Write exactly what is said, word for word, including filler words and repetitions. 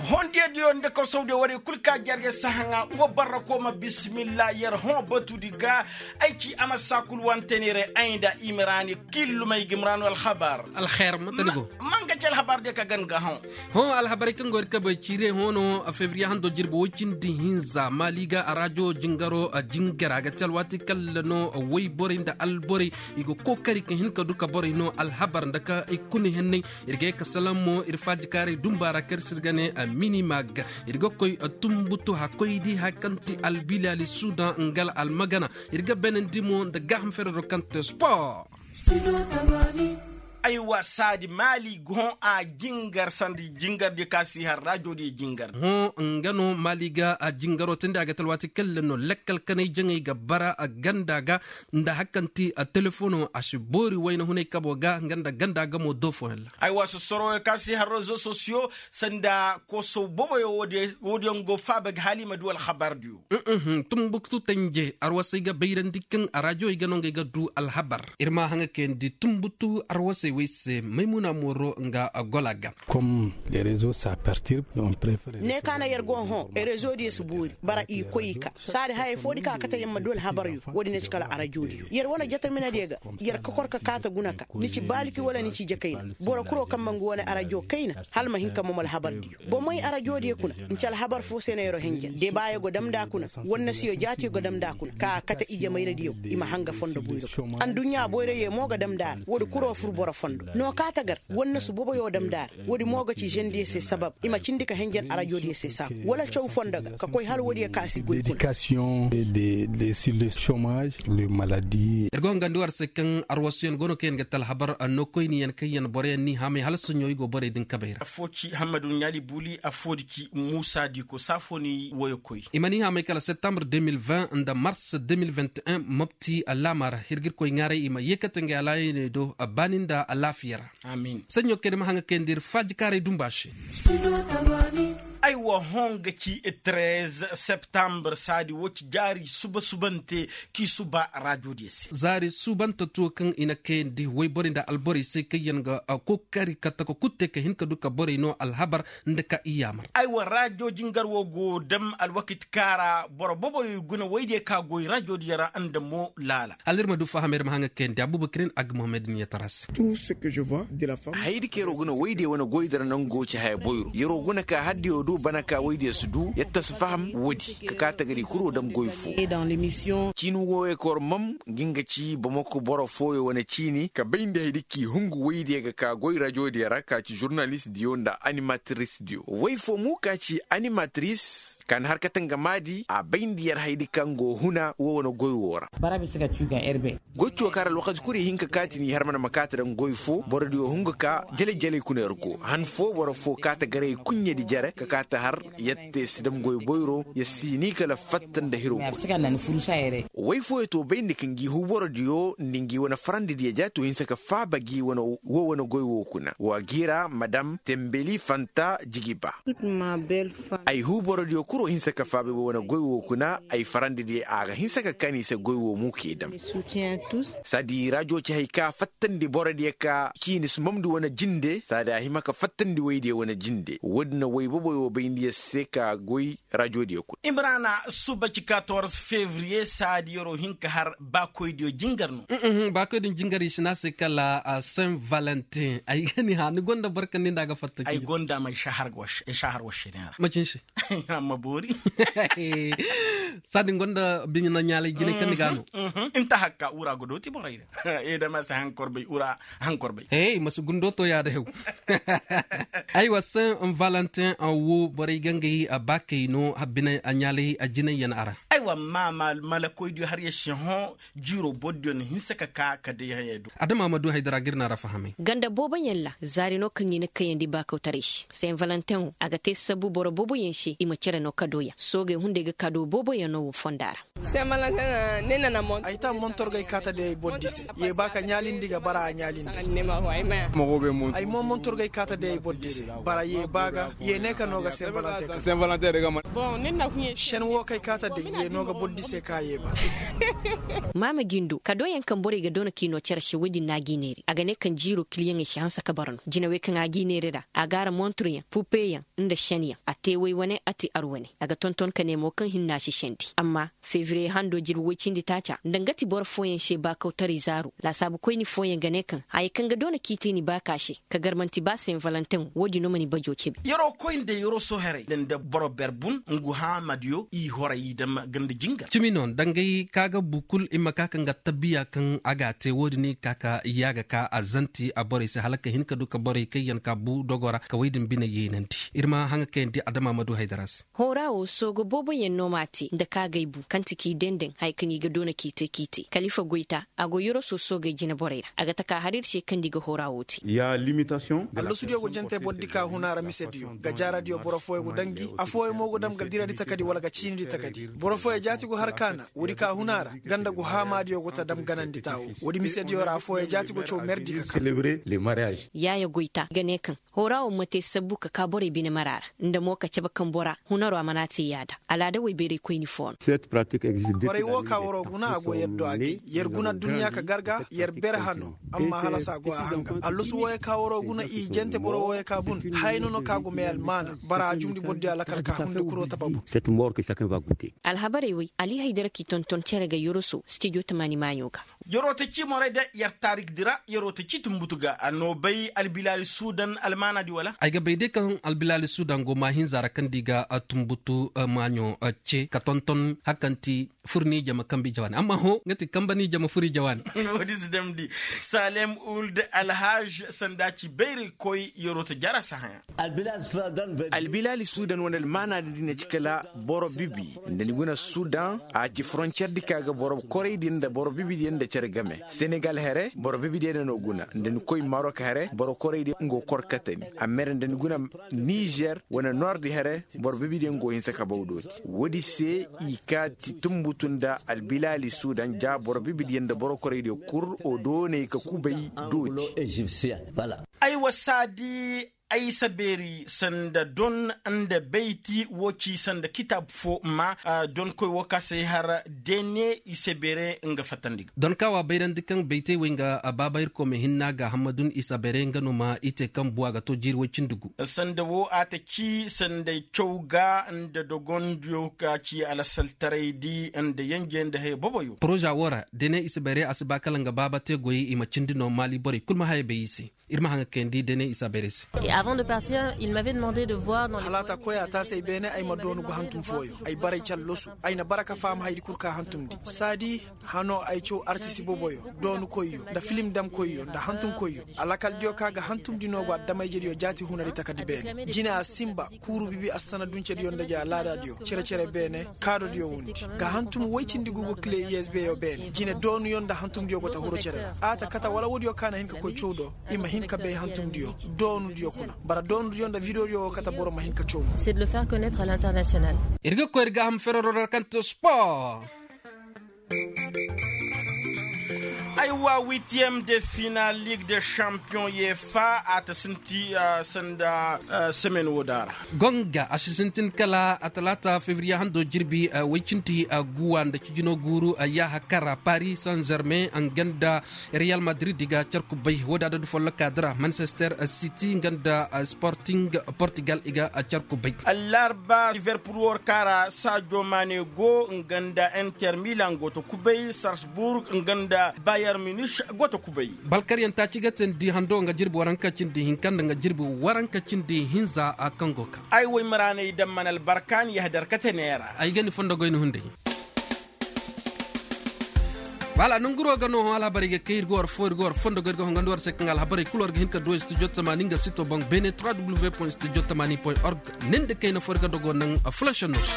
Hondiyadiyo nda kosowdiyo warey kul ka jarge sahaŋa wa barra koo ma bisimilla yer hõ batudi ga. Ay ci a ma saa kul wanteneerey ay nda i ma raani killumey ga i ma raani alhabar. Alher ma tani go. Ma nga ci alhabardiyo ka gan ga hõ. Hõ alhabarey kaŋ go ir kabey ciirey hõ no. Febriye hando jirbi woy cindi hinza maali ga a raajo jingaro jingar a ga ti alwaati kalla no. Woy borey nda alborey i ga kookari ka hin ka du ka borey no alhabar nda ka i kuna henney. Ir ga ye ka salaŋ mo ir faajikaaray dumba ra kaŋ ir si ir ga ne minimag. Ir ga koy tumbutu hakkoy di haya kaŋ ti albilaali sudan nga almagana. Ir ga benandi mo nda gaaham ferero kaŋ te spor. Aywa saadi maali ga hõ a jingar sanda jingardiyo kaŋ a si har raajodiyo jingar. Hõ nga no maali ga a jingaro tindi a ga ti alwaati kaŋ le no lakkal kanay jaŋay ga bara ganda ga. Nda haya kaŋ ti telefono a si boori wayna hunay kabo ga nga nda ganda ga mo do fooyaŋ ra. Aywa sosoroyo kaŋ a si har rezo sosiyo sanda kosow boboyo woodiyaŋ go faaba ga hala i ma du alhabardiyo. Tumbuktu tanje arwasey ga bayrandi kaŋ a raajowey ga no ngey ga du alhabar ir ma haŋa kayandi tumbuktu arwasey wey se maymuna mooro nga gola ga. Ne ka na yer go hõ rezo diyo si boori bara i koy i ka saadi hayey foo di kaŋ a kate yer ma du alhabaryo woodi ne ci kala arajo diyo yer wane jataminadiyo ga. Yer ka kor ka kaata guna ka ni ci baaliki wala ni ci jakayna boro kuro kaŋ ma nga wane arajo kayna hala ma hin ka mom alhabar diyo. Bomey arajo diyo kuna nci alhabar foo se no yer wo hinja debaayo go dam nda a kuna. Wannasiyo jaatiyo go dam nda a kuna ka a kate ijemayradiyo i ma hanga fondo boyro. Adduɲɲa boyroyo mo ga dam nda a ra woodi kuro fur boro fondo no kaata gar wannasu boboyo dam nda a ra. Woodi mo ga ci žendiyo se sabab i ma cindi ka henjen arajo diyo se saaku wala caw fondo ga ka koy hala woodiyo ka a si goy kuna. Ir go hangandi war se kaŋ arwasuyaŋ go no kaŋ yaŋ ga te alhabar anno koyniyaŋ kaŋ yaŋ boroyaŋ n'i haamay hala soɲõ i go borey din kabey ra. Affoo ci hammadu ɲaali buuli affoo di ci muusa diiko saafo ni woyo koy. I ma n'i haamay kala septembre deux mille vingt nda mars deux mille vingt et un mopti laama ra ir ga ir koy ŋaaray i ma yeekate ngey alaayaney do baani nda alaafiya ra. Saɲɲo kaŋ ir ma haŋa kayandi ir faajikaaray dumba se. Aywa hõ nga ci treize septembre saadi wo ci jaari suba subante k'i suba raajodiyo se. Zaari suubante tuwo kaŋ i na kayandi woyborey nda alborey se kaŋ yaŋ ga kookari ka taka kul te ka hin ka du ka borey no alhabar nda ka i yaamar. Aywa raajo jingar wo go dam alwakit kaara boro boboyo i guna woydiyo ka goy raajodiyo ra nda mo laala. Hala ir ma du fahamay ir ma haŋa kayandi abubakirin agga muhammed niya tara se. Hayadi kaŋ yer'o guna woydiyo wane goydi ra nango ci haya boyro yer'o guna ka haddiyo du bana ka woydiyo si du yetta si faham woodi ka ka tagari kul wo dam goy fo. Ciini woyey kor mam ga nga ci bamako boro fooyo wane ciini ka bayndi hayadi k'i hungu woydiyo ga ka goy rajodiyo ra ka ci žurnalistdiyo nda animatristdiyo woy fo mo ka ci animatris ka na har kate nga maadi a bayndi yer hayadi kaŋ go huna wo wane goy wo ra. Goy ciyo kaŋ ra alwakati kul i hin ka kaati n'i har mana ma kaati daŋ goy fo borodiyo hungu ka jale-jaley kuna yer go han fo boro fo kaata garay kuɲɲedi jere ka kaati har yer te si dam goy boyro yer si ni kala fatta nda hiro. Way fooyo to bayndi ka ngi huborodiyo nda ngi wane farandidiyo ja to hinsa ka faaba gi wo wane goy wo kuna wa gi ra madam tembeli fanta jigiba. Ay huborodiyo kuro hinsa ka faaba wo wane goy wo kuna ay farandidiyo a ga hinsa ka kaani se goy wo mo k'i dam. Saadi rajo ci hay ka fattandi borodiyo ka ciini si mamndi wane jinde saadi a hima ka fattandi waydiyo wane jinde woodi na way boboyo bayndi yer se ka goy rajodiyo kul. Imrana suba ci katorze fevriye saadi yer'o hin ka har baakoydiyo jingar no. Baakoydiyo jingar i si ne a se kala saint valentin ay ga ni hã ni gonda boro kaŋ ni nda a ga fatta ay gonda ma ay sahar wašine ra macin se. Amma boori. Saadi ni gonda biɲa na ɲaalay jinay kaŋ ni ga no. Nta hakka wura ga dooti borey ra. Edama si haŋ korbay wura haŋ korbay. Hey ma si gundo to yaada hew. Aywa saint valentin wo borey ga ngey baakey no habbinay a ɲaalay a jinay yaŋ a ra. Aywa ma malakoydiyo har ya si hõ jiiro bordiyo na hinsa ka ka ka day hayey do. Adama ma du haydara ga ir na ra fahamay. Ganda booboyaŋ ra zaari no kaŋ i na kayandi baakawtaray se saint valentin wo a ga te sabu boro booboyaŋ se i ma cere no kadooyaŋ soogey hunday ga kadoo booboyaŋ no wo fonda ra. Ay ta montorgay kaata day ay boro di se. Ye ba ka ɲaalindi ga bara a ɲaalindi. Ay mo montorgay kaata day ay boro di se. Bara ye ba ga ye ne ka no ga saint valentin ka. Sen wo kay kaata day ye. No ga boro di se ka ye ba. Maama jindo kadooyaŋ kaŋ borey ga doona k'i noo cere se woy din no a g'i neeri a ga ne kaŋ jiiroo kiliyaŋey si hanse ka bara no jinawey kaŋ a g'i neeri ra a gaara monturyaŋ pupeyaŋ, nda senyaŋ a te woy wane a te ar wane a ga tonton ka ne mo kaŋ hinna si sendi amma febriye hando jirbi woy cindi taaca nda nga ti boro fooyaŋ se baakawtaray zaaro laasaabu koyni fooyaŋ ga ne kaŋ haya kaŋ ga doona k'i te ni baaka se ka gar man'ti ba sen valentin wo- din no ma ni bajo cebe. Yeroo koy nda yeroo soherey nda boro ber bun ngu haamadiyo i horay i dam ganda jingar. Cimi no dangay ka ga bu kul i ma ka kaŋ ga tabiya kaŋ a ga a te wo- din i ka ka yaaga ka a zanti a borey se hala ka hin ka du ka borey kaŋ yaŋ ka bu dogo ra ka woy din bine yeenandi ir ma haŋa kayandi adama ma du haydara se. Hooraa woo sooga booboyaŋ no m'a te nda kaagay bu kaŋ ti k'i dendeŋ haya kaŋ i ga doona k'i te k'i te kalifa goyta a go yoroso soogey jineborey ra a ga taka har ir se kaŋ nda i ga hooraa woo te. Allasudiyo go jante boro di ka huna ra misediyo ga jaaradiyo boro fooyaŋ go daŋ gi affooyaŋ mo go daŋ ga diradi takadi wala ga ciinidi takadi boro fooyaŋ jaati go har kaana woodi ka huna ra ganda go haamaadiyo go ta daŋ ganandi taawo. Woodi misediyo ra affooyaŋ jaati go caw merdi ka kaa. Yaaya goyta ga ne kaŋ hooraa wo ma te sabbu ka kaa borey bine mara ra nda mo ka cabe kaŋ bora hunaro a mana te yaada alaada woy bayray koyni foo no. Borey wo ka waroo guna a go yer do a gay yer guna adduɲɲa ka gar ga yer ber hano amma halas a go a hanga allasu wooyo ka waroo guna i jante boro wooyo ka bun haya no no ka go may almaana bara a jumndi borodiyo alakal ka hundi kuroo taba bun. Alhabarey woy ali haydara k'i tonton cere ga yoroso stijo tamaani maaɲo ga. Yeroo ta ci morey de yer taarik di ra yeroo ta ci tunbutu ga a noo bay albilaali suudan almaana di wala? Ay ga bay day kaŋ albilaali suudan go maahinza ra kaŋ di ga tunbutu maaɲo ce ka tonton hakanti fur ni jama kambi jawaani amma hõ nga ti kamba ni jama fur i jawaani. Woodi si damndi saalem uld alhaj sanda ci bayray koy yeroo ta jara sahayaŋ. Albilaali suudan wane almaana di na ci kala boro bibi nda ni guna suudan a ci foroncer di ka ga boro korey di nda boro bibi di nda cere game senegal here boro bibi di nda no guna nda ni koy marok here boro korey di nga kor katani a mere nda ni guna nizer wane nord here boro bibi di nga hinsa ka baw dooti woodi se i ka ti tunbutu nda albilaali suudan ja boro bibi di nda boro korey di kul o doonay ka kubay dooti. Aywa saadi ay sabeeri sanda don nda bayti wo ci sanda kitaab fo ma donkoy wo ka se har dene i sabeere nga fattandi ga. Don ka wa bayrandi kaŋ baytey wey nga baaba irkoy ma hinna ga hammadun i sabeere nga no ma i te kaŋ bu a ga to jiiri way cindi gu. Sanda wo a ta ci sanday caw ga nda dogondiyo ka ci alasaltaray di nda yanje nda haya boboyo. Poroza wo ra dene i sabeere a si ba kala nga baaba te goyey i ma cindi no maali borey kul ma haya bay i se. Ir ma haŋa kayandi dene i si a bayray se. Hala a ta koy a taasay beene ay ma doonu ga hantum fooyo ay baray callosu. Ay na bara ka faham haydi kul ka hantumndi saadi hano ay caw artisi boboyo doonukoyyo nda filim damkoyyo nda hantumkoyyo. Alakaldiyo ka ga hantumndi no go addamayjediyo jaati hunari takadi beene jine a sinba kuuru bibi assanaduncediyo nda ja laadadiyo cere-cere beene kaadodiyo wundi ga hantum woy cindi gu go kile usb yo beene jine doonuyo nda hantumdiyo go ta huru cere ra a ta kata wala woodiyo ka na hin ka koy caw do i ma hin ka bay hantumdiyo doonudiyo kuna bara doonudiyo nda vidiyodiyo wo kata boro ma hin ka caw. Ir ga koy ir ga ham ferero ra kaŋ te sport. Ay wa witiyem de final ligue de champion yeefa a ta sinti sanda semen wo daara. Gonga a si sintin kala a talaata febriye hando jirbi way cinti guwa nda cijino guuru yaaha kara paris saint germain nga nda real madrid i ga carku bay wo- din adadu folloka dira manchester city nga nda sporting portugal i ga carku bay. Allarba liverpool war kaara sadio mane go nga nda inter milan go ta kubay salzburg nga nda bayern munich go ta kubay. Balkaryaŋ taaci ga teendi hando nga jirbi waranka cindi hinka nda nga jirbi waranka cindi hinza a kaŋ go ka ay woy maraaney daŋ mana albarka ni yahdar kate neera. Ay ga ni fondo goy ni hunday. Wala nanguro ga no hõ alhabarey ga kay ir ga war fo ir ga war fondo goy ir ga hõ nga nda war se kaŋ alhabarey kulu war ga hin ka du studio tamaani nga sito boŋ beene trois w point studio tamaani point org. Nin da kayna fo ir ga dogo naŋ a fulaŋ shanno se.